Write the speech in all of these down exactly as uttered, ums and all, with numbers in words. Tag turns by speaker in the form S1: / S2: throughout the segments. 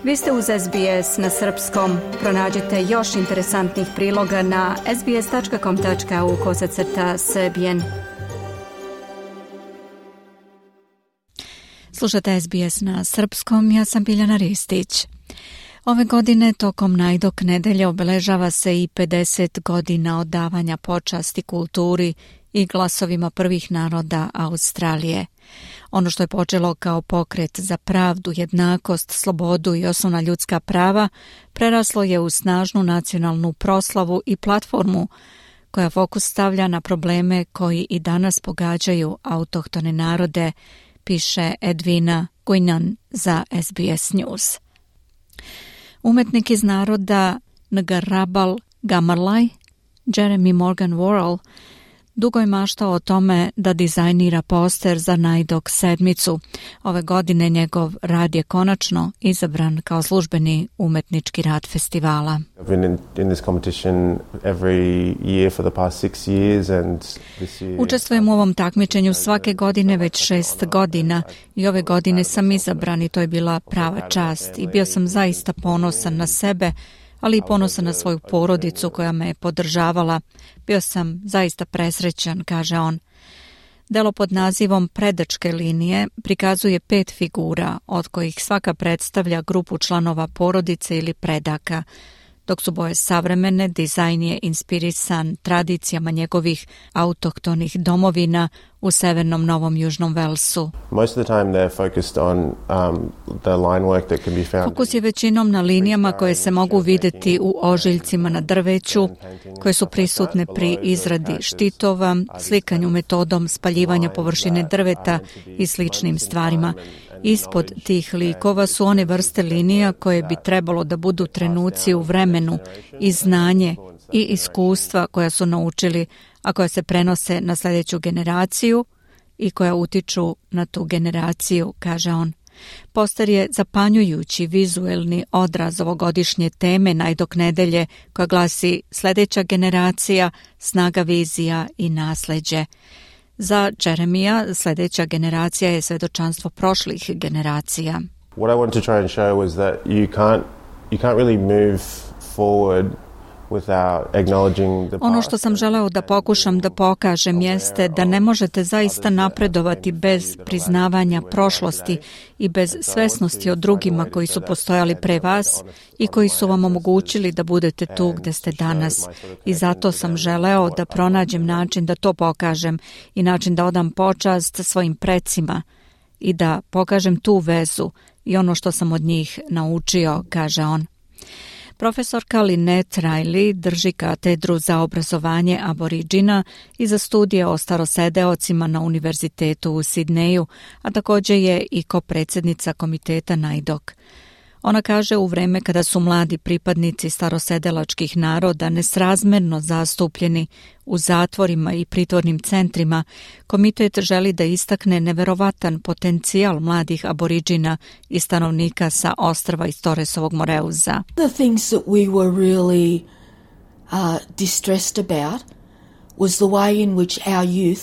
S1: Vi ste uz S B S na srpskom. Pronađite još interesantnih priloga na sbs.com.au kosacrta srbijen. Slušate S B S na srpskom, ja sam Biljana Ristić. Ove godine tokom Najdok nedelje obeležava se i pedeset godina odavanja počasti kulturi i glasovima prvih naroda Australije. Ono što je počelo kao pokret za pravdu, jednakost, slobodu i osnovna ljudska prava preraslo je u snažnu nacionalnu proslavu i platformu koja fokus stavlja na probleme koji i danas pogađaju autohtone narode, piše Edwina Guinan za S B S News. Umetnik iz naroda Ngarrabal Gamarlaj, Jeremy Morgan Worrell, dugo je maštao o tome da dizajnira poster za Najdok sedmicu. Ove godine njegov rad je konačno izabran kao službeni umetnički rad festivala. Učestvujem u ovom takmičenju svake godine već šest godina i ove godine sam izabran i to je bila prava čast i bio sam zaista ponosan na sebe, ali i ponosan na svoju porodicu koja me je podržavala. Bio sam zaista presrećan, kaže on. Delo pod nazivom Predačke linije prikazuje pet figura, od kojih svaka predstavlja grupu članova porodice ili predaka. Dok su boje savremene, dizajn je inspirisan tradicijama njegovih autohtonih domovina u severnom Novom Južnom Velsu. Fokus je većinom na linijama koje se mogu vidjeti u ožiljcima na drveću, koje su prisutne pri izradi štitova, slikanju metodom spaljivanja površine drveta i sličnim stvarima. Ispod tih likova su one vrste linija koje bi trebalo da budu trenuci u vremenu i znanje i iskustva koja su naučili, a koja se prenose na sljedeću generaciju i koja utiču na tu generaciju, kaže on. Poster je zapanjujući vizuelni odraz ovogodišnje teme Najdok nedelje koja glasi sljedeća generacija, snaga vizija i nasleđe. Za Jeremija sljedeća generacija je svedočanstvo prošlih generacija.
S2: What I wanted to try and show was that you can't you can't really move forward
S1: Ono što sam želeo da pokušam da pokažem jeste da ne možete zaista napredovati bez priznavanja prošlosti i bez svesnosti o drugima koji su postojali pre vas i koji su vam omogućili da budete tu gde ste danas. I zato sam želeo da pronađem način da to pokažem i način da odam počast svojim precima i da pokažem tu vezu i ono što sam od njih naučio, kaže on. Profesorka Lynette Riley drži katedru za obrazovanje aboriđina i za studije o starosedeocima na Univerzitetu u Sidneju, a također je i kopredsjednica komiteta Najdok. Ona kaže u vreme kada su mladi pripadnici starosedelačkih naroda nesrazmerno zastupljeni u zatvorima i pritvornim centrima, komitet želi da istakne neverovatan potencijal mladih aboriđina i stanovnika sa ostrva iz Torresovog Moreuza.
S3: The things that we were really uh, distressed about was the way in which our youth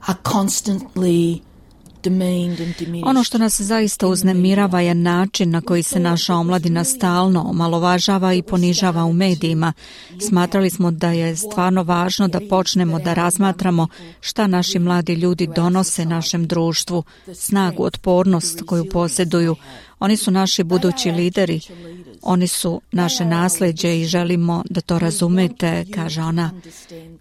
S3: are constantly
S1: Ono što nas zaista uznemirava je način na koji se naša omladina stalno omalovažava i ponižava u medijima. Smatrali smo da je stvarno važno da počnemo da razmatramo šta naši mladi ljudi donose našem društvu, snagu, otpornost koju posjeduju. Oni su naši budući lideri, oni su naše nasleđe i želimo da to razumete, kaže ona.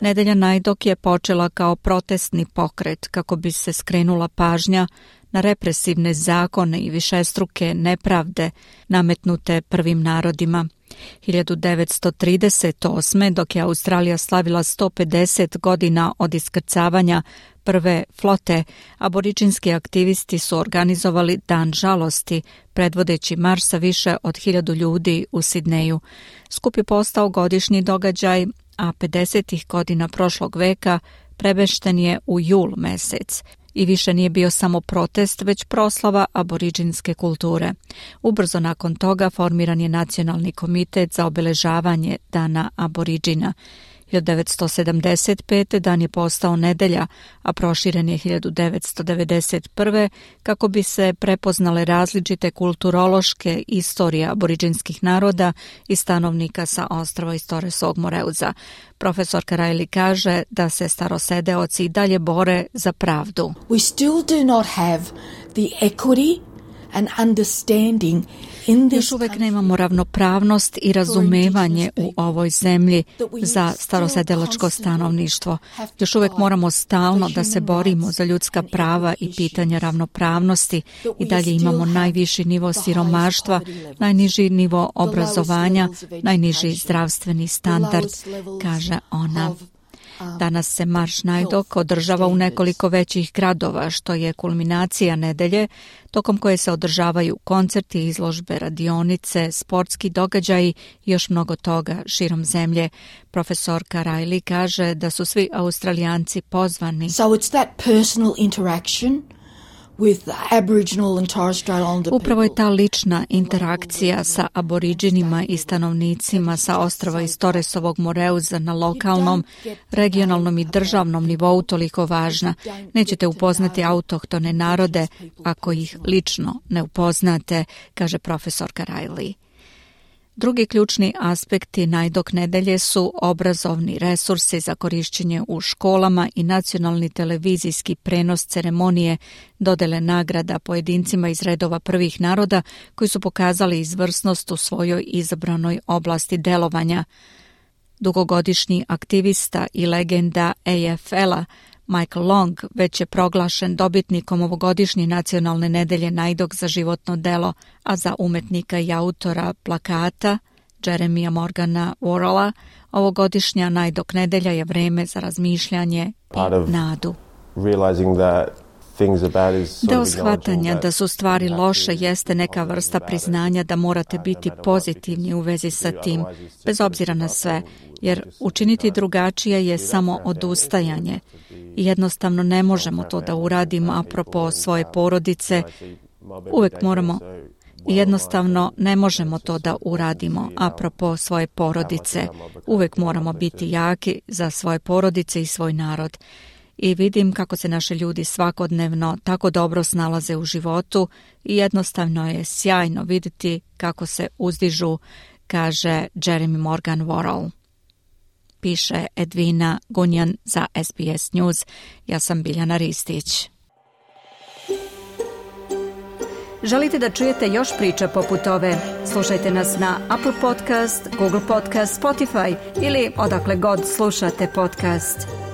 S1: Nedelja Najdok je počela kao protestni pokret kako bi se skrenula pažnja na represivne zakone i višestruke nepravde nametnute prvim narodima. hiljadu devetsto trideset osme. dok je Australija slavila sto pedeset godina od iskrcavanja prve flote, aboriđinski aktivisti su organizovali Dan žalosti, predvodeći marš sa više od hiljadu ljudi u Sidneju. Skup je postao godišnji događaj, a pedesetih godina prošlog veka premešten je u jul mesec. I više nije bio samo protest, već proslava aboriđinske kulture. Ubrzo nakon toga formiran je Nacionalni komitet za obeležavanje Dana aboriđina. hiljadu devetsto sedamdeset pete dan je postao nedelja, a proširen je hiljadu devetsto devedeset prve kako bi se prepoznale različite kulturološke istorije aboriđinskih naroda i stanovnika sa ostrva iz Torresovog Moreuza. Profesorka Riley kaže da se starosedeoci i dalje bore za pravdu.
S3: We still do not have the equity and understanding in this.
S1: Još uvek nemamo ravnopravnost i razumevanje u ovoj zemlji za starosedelačko stanovništvo. Još uvek moramo stalno da se borimo za ljudska prava i pitanja ravnopravnosti i dalje imamo najviši nivo siromaštva, najniži nivo obrazovanja, najniži zdravstveni standard, kaže ona. Danas se Marš Najdok održava u nekoliko većih gradova, što je kulminacija nedelje, tokom koje se održavaju koncerti, izložbe, radionice, sportski događaji i još mnogo toga širom zemlje. Profesorka Riley kaže da su svi Australijanci pozvani.
S3: So it's that personal interaction with the Aboriginal and Torres Strait Islander people.
S1: Upravo je ta lična interakcija sa aboriđinima i stanovnicima sa ostrva iz Torresovog Moreuza na lokalnom, regionalnom i državnom nivou toliko važna. Nećete upoznati autohtone narode ako ih lično ne upoznate, kaže profesorka Riley. Drugi ključni aspekti Najdok nedelje su obrazovni resursi za korišćenje u školama i nacionalni televizijski prenos ceremonije dodele nagrada pojedincima iz redova prvih naroda koji su pokazali izvrsnost u svojoj izabranoj oblasti delovanja. Dugogodišnji aktivista i legenda A F L-a Michael Long već je proglašen dobitnikom ovogodišnje nacionalne nedelje Najdok za životno delo, a za umetnika i autora plakata Jeremija Morgana Worrella ovogodišnja Najdok nedelja je vreme za razmišljanje i nadu. Deo shvatanja da su stvari loše jeste neka vrsta priznanja da morate biti pozitivni u vezi sa tim, bez obzira na sve, jer učiniti drugačije je samo odustajanje. I jednostavno ne možemo to da uradimo apropo svoje porodice. Uvek moramo I jednostavno ne možemo to da uradimo apropo svoje porodice. Uvek moramo biti jaki za svoje porodice i svoj narod. I vidim kako se naši ljudi svakodnevno tako dobro snalaze u životu i jednostavno je sjajno vidjeti kako se uzdižu, kaže Jeremy Morgan Worrell. Piše Edvina Gunjan za S B S News. Ja sam Biljana Ristić. Želite da čujete još priča poput ove? Slušajte nas na Apple Podcast, Google Podcast, Spotify ili odakle god slušate podcast.